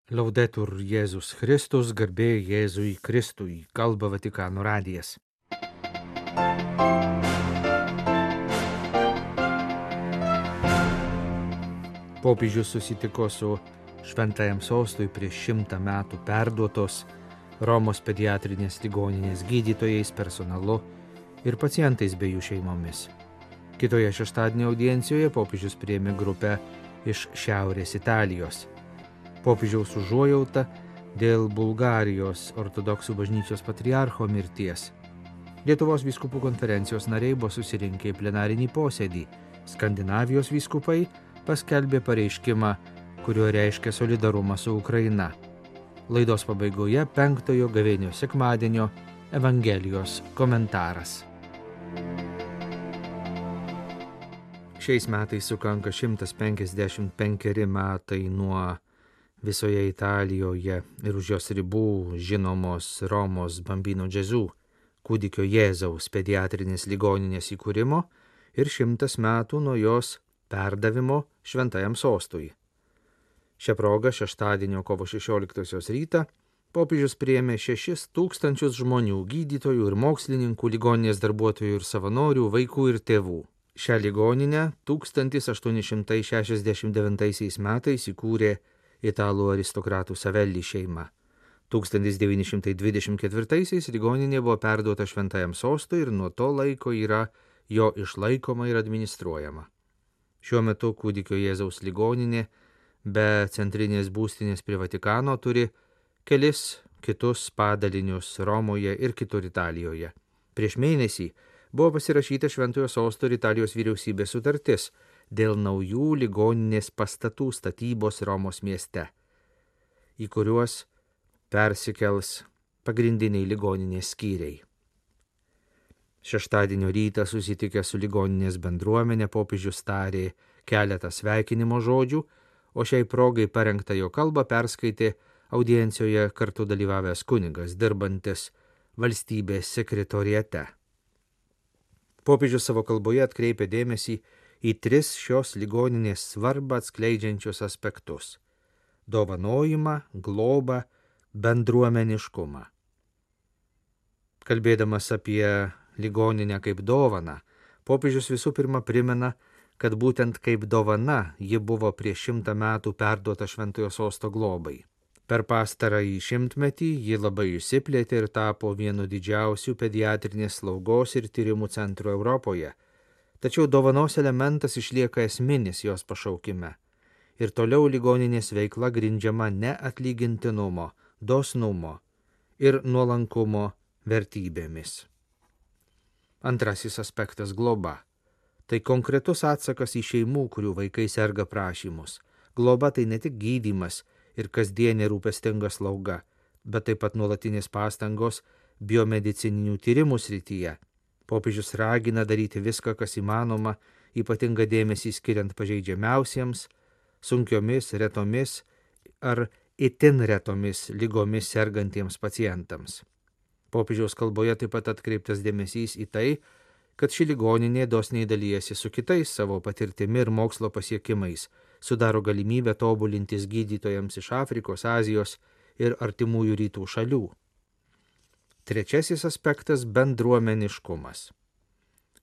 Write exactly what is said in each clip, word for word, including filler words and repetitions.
Laudetur Jėzus Kristus, garbė Jėzui Kristui, kalba Vatikano radijas. Popiežius susitiko su Šventajam Sostui prieš šimtą metų perduotos Romos pediatrinės ligoninės gydytojais, personalu ir pacientais bei jų šeimomis. Kitoje šeštadienio audiencijoje popiežius priėmė grupę iš Šiaurės Italijos. Popiežiaus užuojauta dėl Bulgarijos ortodoksų bažnyčios patriarcho mirties. Lietuvos vyskupų konferencijos nariai buvo susirinkę į plenarinį posėdį. Skandinavijos vyskupai paskelbė pareiškimą, kuriuo reiškia solidarumą su Ukraina. Laidos pabaigoje penktojo gavėnio sekmadienio Evangelijos komentaras. Šiais metais sukanka šimtas penkiasdešimt penkeri metai nuo visoje Italijoje ir už jos ribų žinomos Romos Bambino Gesù, kūdikio Jėzaus pediatrinės ligoninės įkūrimo ir šimtas metų nuo jos perdavimo Šventajam Sostui. Šią progą šeštadienio kovo šešioliktosios rytą popiežius priėmė šešis tūkstančius žmonių, gydytojų ir mokslininkų, ligoninės darbuotojų ir savanorių, vaikų ir tėvų. Šią ligoninę tūkstantis aštuoni šimtai šešiasdešimt devintaisiais metais įkūrė italų aristokratų Savelli šeima. tūkstantis devyni šimtai dvidešimt ketvirtaisiais ligoninė buvo perduota Šventajam Sostui ir nuo to laiko yra jo išlaikoma ir administruojama. Šiuo metu kūdikio Jėzaus ligoninė be centrinės būstinės prie Vatikano turi kelis kitus padalinius Romoje ir kitur Italijoje. Prieš mėnesį buvo pasirašyta Šventojo Sosto ir Italijos vyriausybės sutartis dėl naujų ligoninės pastatų statybos Romos mieste, į kuriuos persikels pagrindiniai ligoninės skyriai. Šeštadienio rytą susitikę su ligoninės bendruomenė popiežius tarė keletą sveikinimo žodžių, o šiai progai parengtą jo kalbą perskaitė audiencijoje kartu dalyvavęs kunigas, dirbantis valstybės sekretoriate. Popiežius savo kalboje atkreipė dėmesį į tris šios ligoninės svarbą atskleidžiančius aspektus – dovanojimą, globą, bendruomeniškumą. Kalbėdamas apie ligoninę kaip dovaną, popiežius visų pirma primena, kad būtent kaip dovana ji buvo prieš šimtą metų perduota Šventojo Sosto globai. Per pastarąjį šimtmetį ji labai išsiplėtė ir tapo vienu didžiausių pediatrinės slaugos ir tyrimų centrų Europoje. Tačiau dovanos elementas išlieka esminis jos pašaukime. Ir toliau ligoninės veikla grindžiama neatlygintinumo, dosnumo ir nuolankumo vertybėmis. Antrasis aspektas – globa. Tai konkretus atsakas į šeimų, kurių vaikai serga prašymus. Globa tai ne tik gydymas ir kasdienė rūpestinga slauga, bet taip pat nuolatinės pastangos biomedicininių tyrimų srityje. Popiežius ragina daryti viską, kas įmanoma, ypatingą dėmesį skiriant pažeidžiamiausiems, sunkiomis, retomis ar itin retomis ligomis sergantiems pacientams. Popiežiaus kalboje taip pat atkreiptas dėmesys į tai, kad ši ligoninė dosniai dalyjasi su kitais savo patirtimi ir mokslo pasiekimais, sudaro galimybę tobulintis gydytojams iš Afrikos, Azijos ir artimųjų rytų šalių. Trečiasis aspektas – bendruomeniškumas.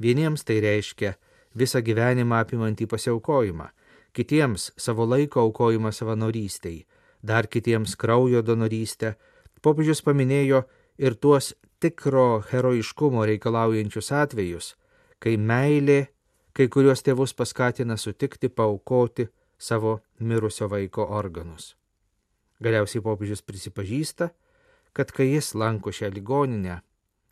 Vieniems tai reiškia visą gyvenimą apimantį pasiaukojimą, kitiems savo laiko aukojimą savanorystei, dar kitiems kraujo donorystę. Popiežius paminėjo ir tuos tikro herojiškumo reikalaujančius atvejus, kai meilė kai kuriuos tėvus paskatina sutikti paaukoti savo mirusio vaiko organus. Galiausiai popiežius prisipažįsta, kad kai jis lanko šią ligoninę,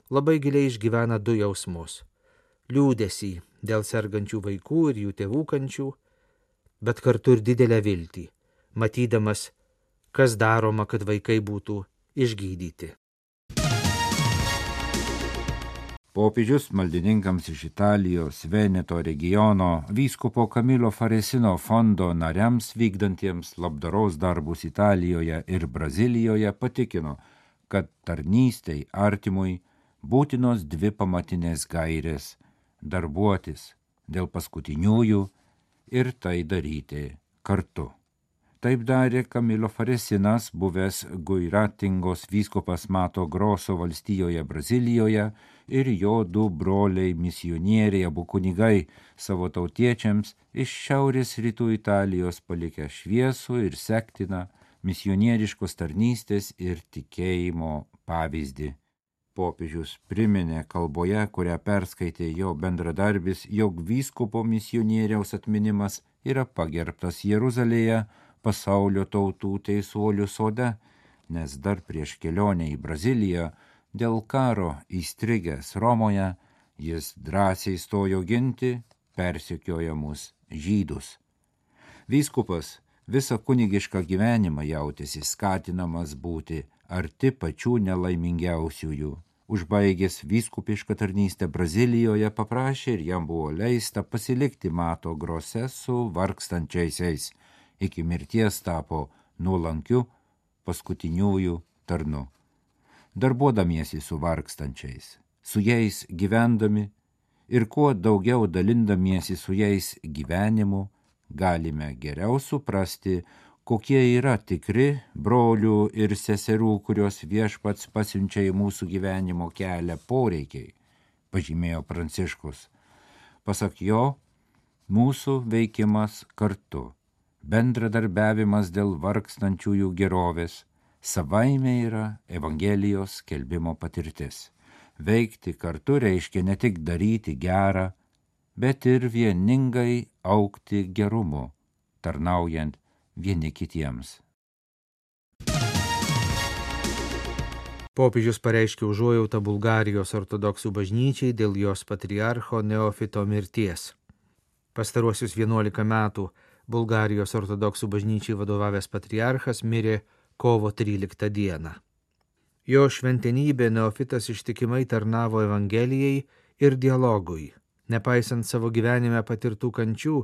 labai giliai išgyvena du jausmus – liūdesį dėl sergančių vaikų ir jų tėvų kančių, bet kartu ir didelę viltį, matydamas, kas daroma, kad vaikai būtų išgydyti. Popiežius maldininkams iš Italijos Veneto regiono vyskupo Kamilo Faresino fondo nariams vykdantiems labdaros darbus Italijoje ir Brazilijoje patikino, kad tarnystei artimui būtinos dvi pamatinės gairės – darbuotis dėl paskutiniųjų ir tai daryti kartu. Taip darė Camilo Faresinas, buvęs Guiratingos vyskupas Mato Groso valstijoje Brazilijoje, ir jo du broliai misionieriai, abu kunigai, savo tautiečiams iš šiaurės rytų Italijos palikę šviesų ir sektiną misionieriškos tarnystės ir tikėjimo pavyzdį. Popiežius priminė kalboje, kurią perskaitė jo bendradarbis, jog vyskupo misionieriaus atminimas yra pagerbtas Jeruzalėje pasaulio tautų teisuolių sode, nes dar prieš kelionę į Braziliją dėl karo įstrigęs Romoje jis drąsiai stojo ginti persekiojamus žydus. Vyskupas visą kunigišką gyvenimą jautėsi skatinamas būti arti pačių nelaimingiausiųjų. Užbaigęs vyskupišką tarnystę Brazilijoje paprašė ir jam buvo leista pasilikti Mato Grose su vargstančiaisiais. Iki mirties tapo nuolankiu paskutiniųjų tarnu. Darbuodamiesi su vargstančiais, su jais gyvendami ir kuo daugiau dalindamiesi su jais gyvenimu, galime geriau suprasti, kokie yra tikri brolių ir seserų, kurios Viešpats pasiunčia į mūsų gyvenimo kelią poreikiai, pažymėjo Pranciškus. Pasak jo, mūsų veikimas kartu, bendradarbiavimas dėl vargstančiųjų gerovės, savaime yra Evangelijos skelbimo patirtis. Veikti kartu reiškia ne tik daryti gerą, bet ir vieningai augti gerumu, tarnaujant vieni kitiems. Popiežius pareiškė užuojautą Bulgarijos ortodoksų bažnyčiai dėl jos patriarcho Neofito mirties. Pastaruosius vienuolika metų Bulgarijos ortodoksų bažnyčiai vadovavęs patriarchas mirė kovo tryliktą dieną. Jo šventenybė Neofitas ištikimai tarnavo Evangelijai ir dialogui. Nepaisant savo gyvenime patirtų kančių,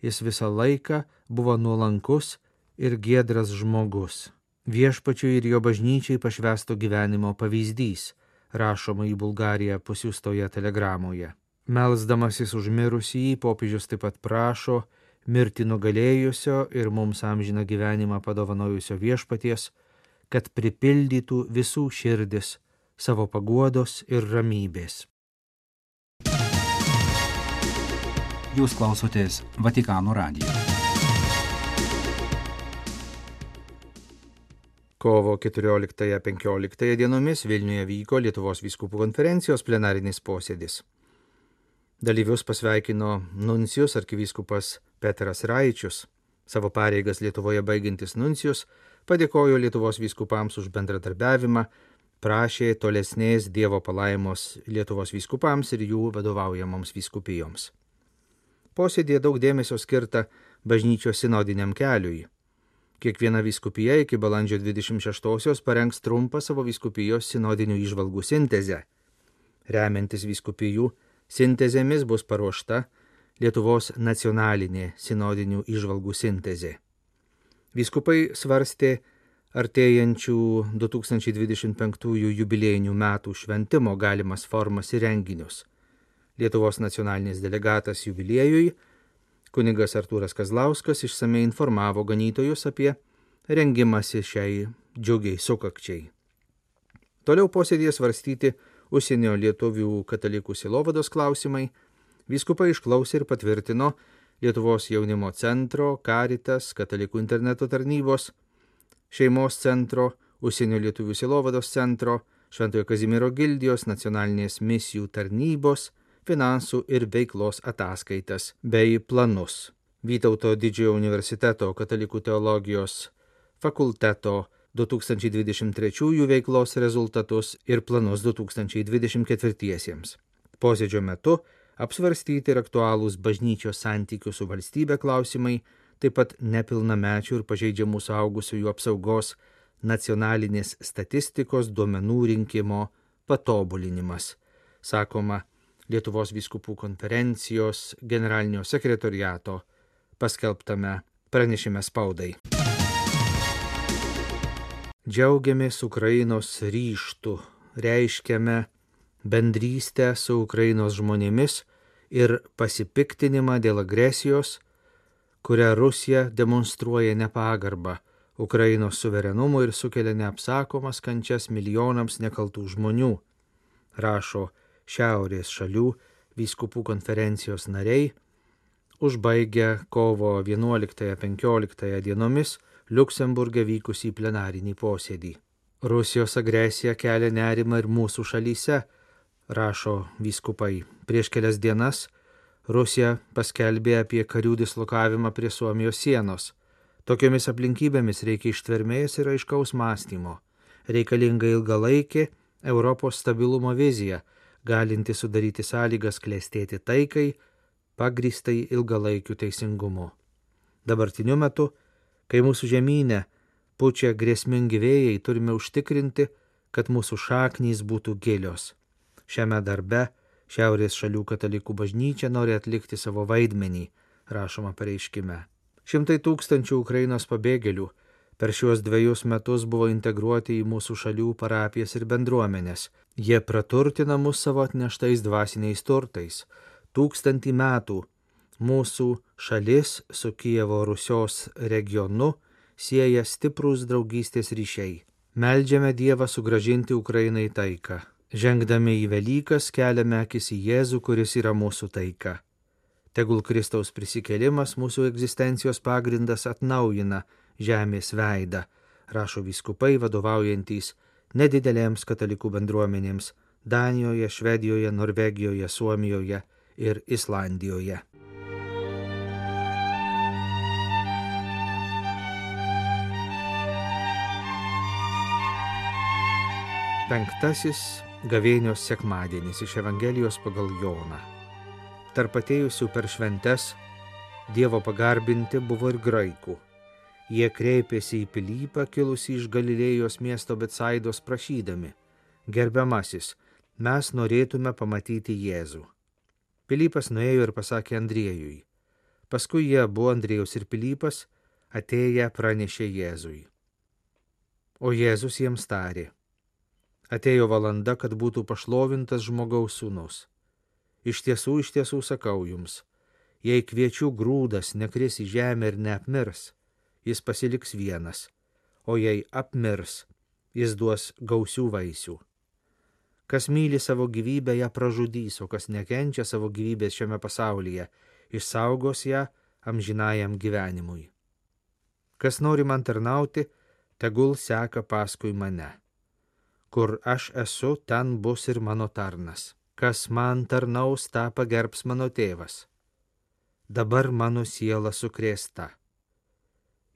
jis visą laiką buvo nuolankus ir giedras žmogus. Viešpačiui ir jo bažnyčiai pašvęsto gyvenimo pavyzdys, rašoma į Bulgariją pasiųstoje telegramoje. Melsdamasis už mirusįjį, popiežius taip pat prašo mirti nugalėjusio ir mums amžiną gyvenimą padovanojusio Viešpaties, kad pripildytų visų širdis savo paguodos ir ramybės. Jūs klausotės Vatikano radijo. Kovo keturioliktąją penkioliktąją dienomis Vilniuje vyko Lietuvos vyskupų konferencijos plenarinis posėdis. Dalyvius pasveikino nuncijus arkivyskupas Petras Raičius. Savo pareigas Lietuvoje baigiantis nuncijus padėkojo Lietuvos vyskupams už bendradarbiavimą, prašė tolesnės Dievo palaimos Lietuvos vyskupams ir jų vadovaujamoms vyskupijoms. Posėdėje daug dėmesio skirta bažnyčios sinodiniam keliui. Kiekviena vyskupija iki balandžio dvidešimt šeštosios parengs trumpą savo vyskupijos sinodinių įžvalgų sintezę. Remiantis vyskupijų sintezėmis bus paruošta Lietuvos nacionalinė sinodinių įžvalgų sintezė. Vyskupai svarstė artėjančių du tūkstančiai dvidešimt penktųjų jubiliejinių metų šventimo galimas formas ir renginius. Lietuvos nacionalinis delegatas jubiliejui, kunigas Artūras Kazlauskas, išsamei informavo ganytojus apie rengimąsi šiai džiugiai sukakčiai. Toliau posėdėje svarstyti užsienio lietuvių katalikų sielovados klausimai. Vyskupai išklausė ir patvirtino Lietuvos jaunimo centro, Caritas, katalikų interneto tarnybos, šeimos centro, užsienio lietuvių sielovados centro, Šventojo Kazimiero gildijos, nacionalinės misijų tarnybos, finansų ir veiklos ataskaitas bei planus. Vytauto Didžiojo universiteto katalikų teologijos fakulteto du tūkstančiai dvidešimt trečiųjų veiklos rezultatus ir planus du tūkstančiai dvidešimt ketvirtiesiems. Posėdžio metu apsvarstyti ir aktualūs bažnyčios santykių su valstybe klausimai, taip pat nepilnamečių ir pažeidžiamų suaugusiųjų apsaugos nacionalinės statistikos duomenų rinkimo patobulinimas, sakoma Lietuvos vyskupų konferencijos generalinio sekretoriato paskelbtame pranešime spaudai. Džiaugiamės Ukrainos ryžtu, reiškiame bendrystę su Ukrainos žmonėmis ir pasipiktinimą dėl agresijos, kuria Rusija demonstruoja nepagarbą Ukrainos suverenumui ir sukelia neapsakomas kančias milijonams nekaltų žmonių, rašo Šiaurės šalių vyskupų konferencijos nariai, užbaigę kovo vienuoliktąją penkioliktąją dienomis Liuksemburge vykusį plenarinį posėdį. Rusijos agresija kelia nerimą ir mūsų šalyse, rašo vyskupai. Prieš kelias dienas Rusija paskelbė apie karių dislokavimą prie Suomijos sienos. Tokiomis aplinkybėmis reikia ištvermės ir aiškaus mąstymo. Reikalinga ilgalaikė Europos stabilumo vizija, galinti sudaryti sąlygas klestėti taikai, pagrįstai ilgalaikiu teisingumu. Dabartiniu metu, kai mūsų žemynė pučia grėsmingi vėjai, turime užtikrinti, kad mūsų šaknys būtų gilios. Šiame darbe Šiaurės šalių katalikų bažnyčia nori atlikti savo vaidmenį, rašoma pareiškime. Šimtai tūkstančių Ukrainos pabėgėlių per šiuos dviejus metus buvo integruoti į mūsų šalių parapijas ir bendruomenės. Jie praturtina mus savo atneštais dvasiniais turtais. Tūkstantį metų mūsų šalis su Kijevo Rusios regionu sieja stiprūs draugystės ryšiai. Meldžiame Dievą sugrąžinti Ukrainai taiką. Žengdami į Velykas keliame akis į Jėzų, kuris yra mūsų taika. Tegul Kristaus prisikėlimas mūsų egzistencijos pagrindas atnaujina žemės veidą, rašo vyskupai vadovaujantys nedidelėms katalikų bendruomenėms Danijoje, Švedijoje, Norvegijoje, Suomijoje ir Islandijoje. Penktasis gavėnios sekmadienis iš Evangelijos pagal Joną. Tarp atėjusių per šventes Dievo pagarbinti buvo ir graikų. Jie kreipėsi į Pilypą, kilusį iš Galilėjos miesto Betsaidos, prašydami: Gerbiamasis, mes norėtume pamatyti Jėzų. Pilypas nuėjo ir pasakė Andriejui. Paskui jie abu, Andriejus ir Pilypas, atėję pranešė Jėzui. O Jėzus jiems tarė: Atėjo valanda, kad būtų pašlovintas žmogaus sūnus. Iš tiesų, iš tiesų sakau jums, jei kviečių grūdas nekris į žemę ir neapmirs, jis pasiliks vienas, o jei apmirs, jis duos gausių vaisių. Kas myli savo gyvybę, ją pražudys, o kas nekenčia savo gyvybės šiame pasaulyje, išsaugos ją amžinajam gyvenimui. Kas nori man tarnauti, tegul seka paskui mane. Kur aš esu, ten bus ir mano tarnas. Kas man tarnaus, tą pagerbs mano tėvas. Dabar mano siela sukrėsta.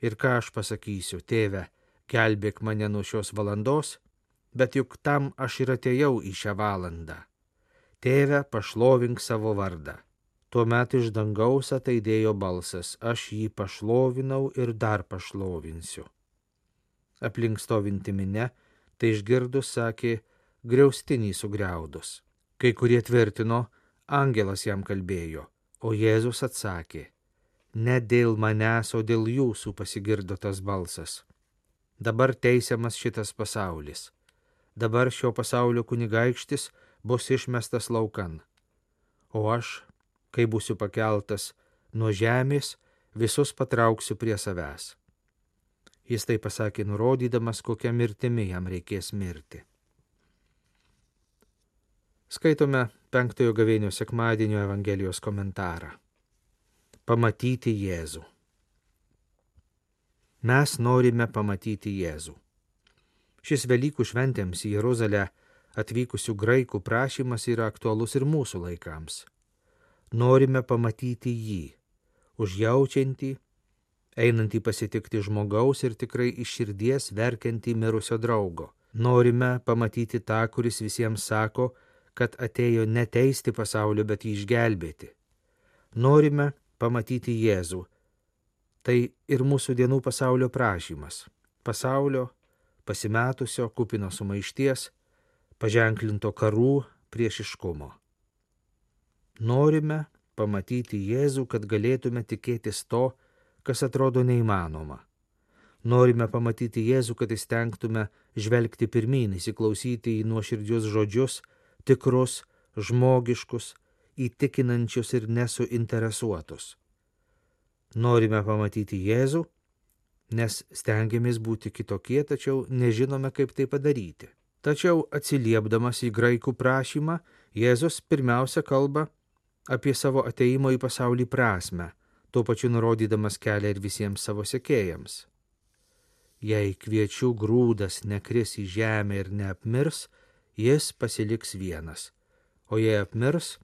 Ir ką aš pasakysiu, tėve, gelbėk mane nuo šios valandos, bet juk tam aš ir atėjau į šią valandą. Tėve, pašlovink savo vardą. Tuomet iš dangaus ataidėjo balsas, aš jį pašlovinau ir dar pašlovinsiu. Aplink stovinti minia, tai išgirdus sakė, griaustinį sugriaudus. Kai kurie tvirtino, angelas jam kalbėjo, o Jėzus atsakė: Ne dėl manęs, o dėl jūsų pasigirdo tas balsas. Dabar teisiamas šitas pasaulis. Dabar šio pasaulio kunigaikštis bus išmestas laukan. O aš, kai būsiu pakeltas nuo žemės, visus patrauksiu prie savęs. Jis tai pasakė, nurodydamas, kokią mirtimi jam reikės mirti. Skaitome penktojo gavėnios sekmadienio Evangelijos komentarą. Pamatyti Jėzų. Mes norime pamatyti Jėzų. Šis Velykų šventėms į Jeruzalę atvykusių graikų prašymas yra aktualus ir mūsų laikams. Norime pamatyti jį, užjaučiantį, einantį pasitikti žmogaus ir tikrai iš širdies verkiantį mirusio draugo. Norime pamatyti tą, kuris visiems sako, kad atėjo ne teisti pasaulio, bet jį išgelbėti. Norime pamatyti Jėzų. Tai ir mūsų dienų pasaulio prašymas. Pasaulio pasimetusio, kupino sumaišties, paženklinto karų, priešiškumo. Norime pamatyti Jėzų, kad galėtume tikėtis to, kas atrodo neįmanoma. Norime pamatyti Jėzų, kad įstengtume žvelgti pirmyn, įsiklausyti į nuoširdžius žodžius, tikrus, žmogiškus, įtikinančius ir nesuinteresuotus. Norime pamatyti Jėzų, nes stengiamės būti kitokie, tačiau nežinome, kaip tai padaryti. Tačiau atsiliepdamas į graikų prašymą, Jėzus pirmiausia kalba apie savo ateimo į pasaulį prasmę, tuo pačiu nurodydamas kelią ir visiems savo sekėjams. Jei kviečių grūdas nekris į žemę ir neapmirs, jis pasiliks vienas, o jei apmirs,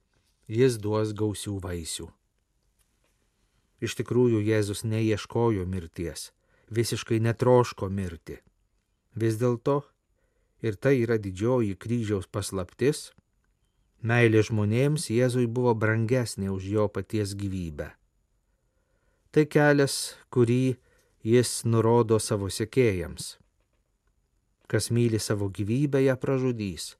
jis duos gausių vaisių. Iš tikrųjų, Jėzus neieškojo mirties, visiškai netroško mirti. Vis dėlto, ir tai yra didžioji kryžiaus paslaptis, meilė žmonėms Jėzui buvo brangesnė už jo paties gyvybę. Tai kelias, kurį jis nurodo savo sekėjams. Kas myli savo gyvybę, ją pražudys,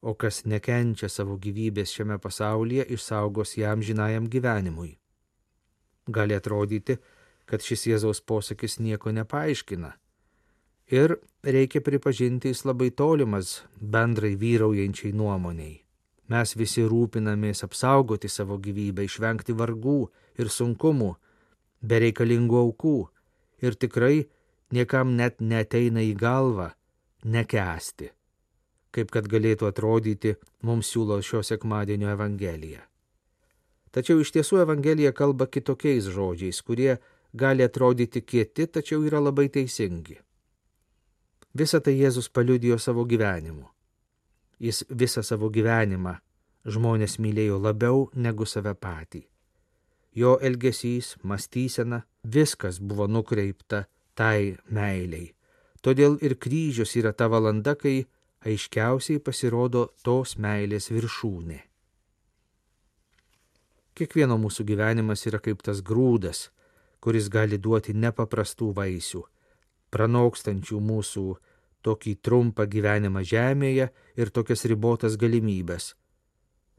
o kas nekenčia savo gyvybės šiame pasaulyje, išsaugos ją amžinajam gyvenimui. Gali atrodyti, kad šis Jėzaus posakis nieko nepaaiškina. Ir reikia pripažinti, jis labai tolimas bendrai vyraujančiai nuomoniai. Mes visi rūpinamės apsaugoti savo gyvybę, išvengti vargų ir sunkumų, bereikalingų aukų, ir tikrai niekam net neteina į galvą nekęsti, kaip kad galėtų atrodyti mums siūlo šio sekmadienio Evangelija. Tačiau iš tiesų Evangelija kalba kitokiais žodžiais, kurie gali atrodyti kieti, tačiau yra labai teisingi. Visą tai Jėzus paliudijo savo gyvenimu. Jis visą savo gyvenimą žmonės mylėjo labiau negu save patį. Jo elgesys, mąstysena, viskas buvo nukreipta tai meiliai. Todėl ir kryžius yra ta valanda, kai aiškiausiai pasirodo tos meilės viršūnė. Kiekvieno mūsų gyvenimas yra kaip tas grūdas, kuris gali duoti nepaprastų vaisių, pranokstančių mūsų tokį trumpą gyvenimą žemėje ir tokias ribotas galimybės.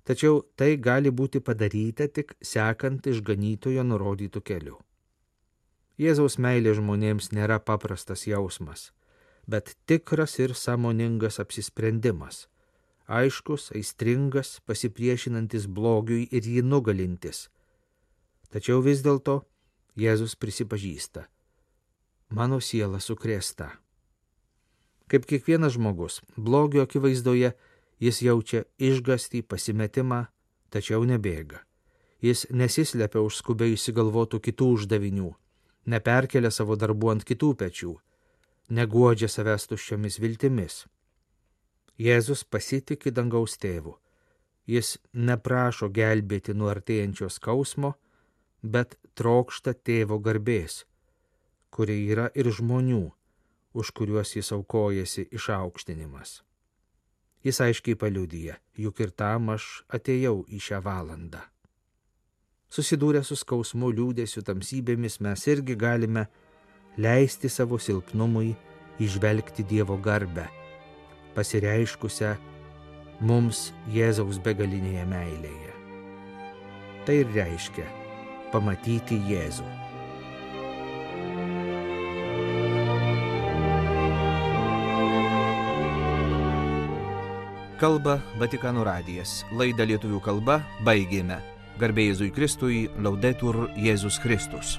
Tačiau tai gali būti padaryta tik sekant išganytojo nurodytų keliu. Jėzaus meilė žmonėms nėra paprastas jausmas, bet tikras ir sąmoningas apsisprendimas, aiškus, aistringas, pasipriešinantis blogiui ir jį nugalintis. Tačiau vis dėlto Jėzus prisipažįsta: mano siela sukrėsta. Kaip kiekvienas žmogus, blogio akivaizdoje jis jaučia išgąstį, pasimetimą, tačiau nebėga. Jis nesislepia už skubiai išsigalvotų kitų uždavinių, neperkelia savo darbų ant kitų pečių, neguodžia savęs tuščiomis viltimis. Jėzus pasitiki dangaus tėvu. Jis neprašo gelbėti nuo artėjančio skausmo, bet trokšta tėvo garbės, kuri yra ir žmonių, už kuriuos jis aukojasi išaukštinimas. Jis aiškiai paliudija, juk ir tam aš atėjau į šią valandą. Susidūrę su skausmu, liūdėsiu, tamsybėmis, mes irgi galime leisti savo silpnumui įžvelgti Dievo garbę, pasireiškusią mums Jėzaus begalinėje meilėje. Tai ir reiškia pamatyti Jėzų. Kalba Vatikano radijas. Laidą lietuvių kalba baigėme. Garbė Jėzui Kristui, Laudetur Jėzus Kristus.